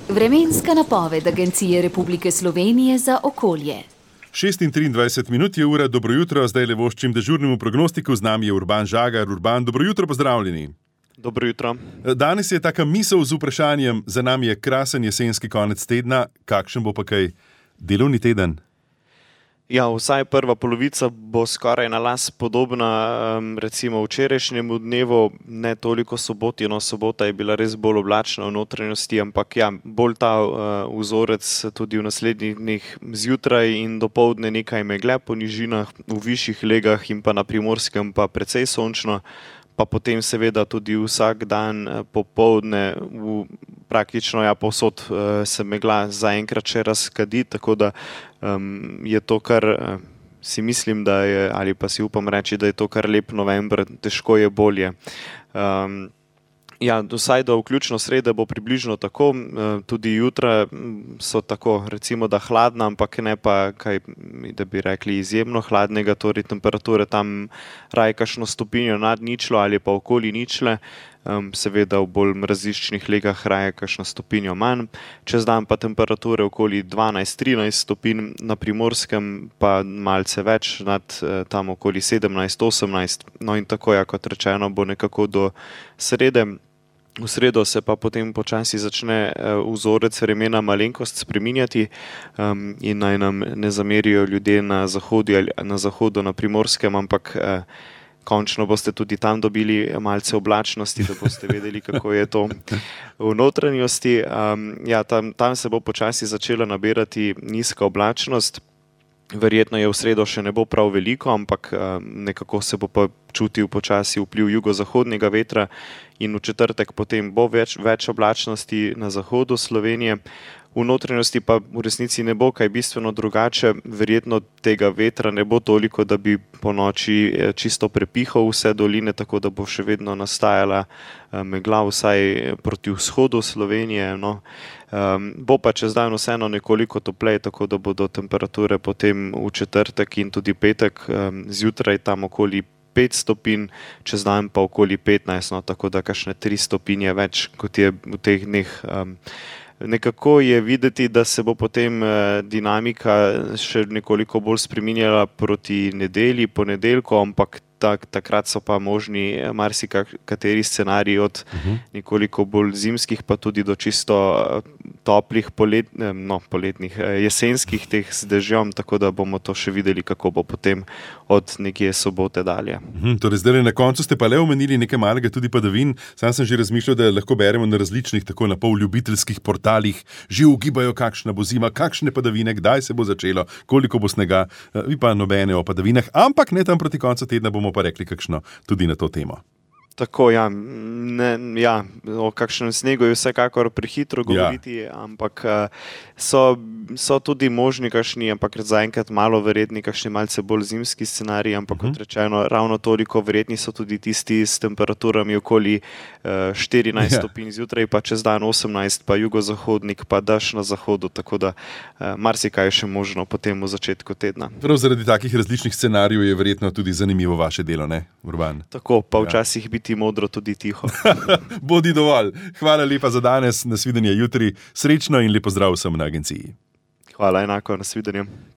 Vremenska napoved Agencije Republike Slovenije za okolje. 6:23 je ura, dobro jutro, zdaj le voščim dežurnemu prognostiku, z nami je Urban Žagar. Urban, dobro jutro, pozdravljeni. Dobro jutro. Danes je taka misel z vprašanjem, za nami je krasen jesenski konec tedna, kakšen bo pa kaj delovni teden? Ja, vsaj prva polovica bo skoraj na las podobna recimo včerajšnjemu dnevu, ne toliko soboti, sobota je bila res bolj oblačna v notranjosti, ampak ja, bolj ta vzorec tudi v naslednjih dneh zjutraj in dopoldne nekaj megle po nižinah, v višjih legah in pa na Primorskem pa precej sončno, pa potem seveda tudi vsak dan popoldne praktično povsod se megla zaenkrat še razkadi, tako da je to kar, si mislim, da je, ali pa si upam reči, da je to kar lep november, težko je bolje. Ja, vsaj do vključno srede bo približno tako, tudi jutra so tako, recimo da hladna, ampak ne pa kaj, da bi rekli izjemno hladnega, torej temperature tam raje kakšno stopinjo nad ničlo ali pa okoli ničle, seveda v bolj mraziščnih legah raje kakšno stopinjo manj, čez dan pa temperature okoli 12-13 stopinj, na Primorskem pa malce več, nad tam okoli 17-18, no in tako, ja, kot rečeno, bo nekako do srede. V sredo se pa potem počasi začne vzorec vremena malenkost spreminjati in naj nam ne zamerijo ljudje na zahodu, na Primorskem, ampak končno boste tudi tam dobili malce oblačnosti, da boste vedeli, kako je to v notranjosti. Ja, tam se bo počasi začela nabirati nizka oblačnost. Verjetno je v sredo še ne bo prav veliko, ampak nekako se bo pa čutil počasi vpliv jugozahodnega vetra in v četrtek potem bo več oblačnosti na zahodu Slovenije. V notranjosti pa v resnici ne bo kaj bistveno drugače, verjetno tega vetra ne bo toliko, da bi po noči čisto prepihal vse doline, tako da bo še vedno nastajala megla vsaj proti vzhodu Slovenije. Bo pa čez dan vseeno nekoliko topleje, tako da bodo temperature potem v četrtek in tudi petek zjutraj tam okoli 5 stopinj, čez dan pa okoli 15, tako da kakšne 3 stopinje več, kot je v teh dneh. Nekako je videti, da se bo potem dinamika še nekoliko bolj spreminjala proti nedelji, ponedeljku, ampak takrat so pa možni marsikateri scenariji od nekoliko bolj zimskih, pa tudi do čisto toplih poletnih, jesenskih teh z dežjem, tako da bomo to še videli, kako bo potem od nekje sobote dalje. Torej zdaj na koncu ste pa le omenili nekaj malega tudi padavin. Sam sem že razmišljal, da lahko beremo na različnih tako na pol ljubiteljskih portalih, že ugibajo, kakšna bo zima, kakšne padavine, kdaj se bo začelo, koliko bo snega, vi pa nobene o padavinah, ampak ne tam proti koncu tedna bomo pa rekli kakšno tudi na to temo. Tako, o kakšnem snegu je vsekakor prehitro govoriti, ampak so tudi možni kakšni, ampak zaenkrat malo verjetni, kakšni malce bolj zimski scenariji, ampak kot rečeno, ravno toliko verjetni so tudi tisti s temperaturami okoli 14 stopinj zjutraj, pa čez dan 18, pa jugozahodnik, pa dež na zahodu, tako da marsikaj je še možno potem v začetku tedna. Prav zaradi takih različnih scenarijev je verjetno tudi zanimivo vaše delo, ne, Urban? Tako, pa včasih biti modro tudi tiho. Bodi dovolj. Hvala lepa za danes, nasvidenje jutri, srečno in lep pozdrav vsem na agenciji. Hvala, enako, nasvidenje.